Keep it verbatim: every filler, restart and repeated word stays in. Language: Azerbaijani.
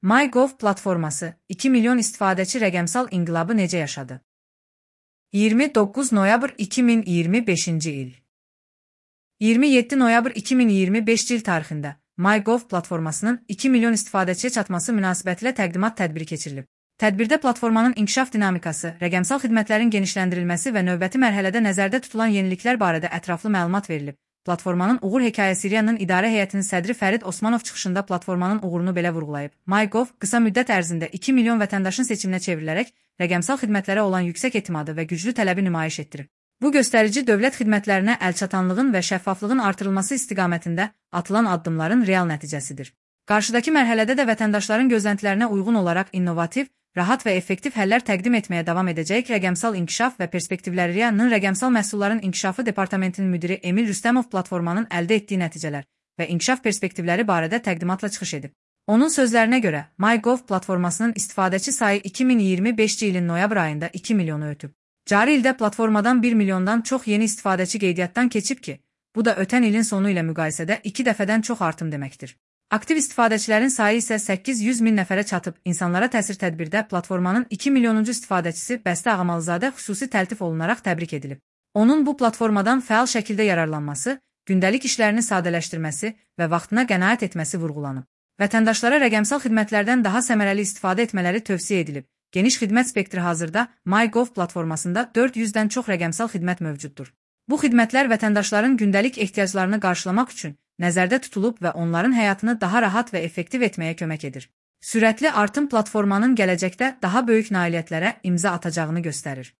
MyGov platforması iki milyon istifadəçi rəqəmsal inqilabı necə yaşadı? iyirmi doqquz noyabr iki min iyirmi beşinci il iyirmi yeddi noyabr iki min iyirmi beşinci il tarixində MyGov platformasının iki milyon istifadəçiyə çatması münasibətilə təqdimat tədbiri keçirilib. Tədbirdə platformanın inkişaf dinamikası, rəqəmsal xidmətlərin genişləndirilməsi və növbəti mərhələdə nəzərdə tutulan yeniliklər barədə ətraflı məlumat verilib. Platformanın uğur hekayəsi Siriyanın idarə heyətinin sədri Fərid Osmanov çıxışında platformanın uğurunu belə vurğulayıb. MyGov qısa müddət ərzində iki milyon vətəndaşın seçiminə çevrilərək rəqəmsal xidmətlərə olan yüksək etimadı və güclü tələbi nümayiş etdirib. Bu göstərici dövlət xidmətlərinə əlçatanlığın və şəffaflığın artırılması istiqamətində atılan addımların real nəticəsidir. Qarşıdakı mərhələdə də vətəndaşların gözləntilərinə uyğun olaraq innovativ, rahat və effektiv həllər təqdim etməyə davam edəcək rəqəmsal inkişaf və perspektivləri Riyanın rəqəmsal məhsulların inkişafı departamentinin müdiri Emil Rüstəmov platformanın əldə etdiyi nəticələr və inkişaf perspektivləri barədə təqdimatla çıxış edib. Onun sözlərinə görə, MyGov platformasının istifadəçi sayı iki min iyirmi beşinci ilin noyabr ayında iki milyonu ötüb. Cari ildə platformadan bir milyondan çox yeni istifadəçi qeydiyyatdan keçib ki, bu da ötən ilin sonu ilə müqayisədə iki dəfədən çox artım deməkdir. Aktiv istifadəçilərin sayı isə səkkiz yüz min nəfərə çatıb. İnsanlara təsir tədbirdə platformanın iki milyonuncu istifadəçisi Bəstə Ağamalızadə xüsusi təltif olunaraq təbrik edilib. Onun bu platformadan fəal şəkildə yararlanması, gündəlik işlərini sadələşdirməsi və vaxtına qənaət etməsi vurğulanıb. Vətəndaşlara rəqəmsal xidmətlərdən daha səmərəli istifadə etmələri tövsiyə edilib. Geniş xidmət spektri hazırda MyGov platformasında dörd yüzdən çox rəqəmsal xidmət mövcuddur. Bu xidmətlər vətəndaşların gündəlik ehtiyaclarını qarşılamaq üçün nəzərdə tutulub və onların həyatını daha rahat və effektiv etməyə kömək edir. Sürətli artım platformanın gələcəkdə daha böyük nailiyyətlərə imza atacağını göstərir.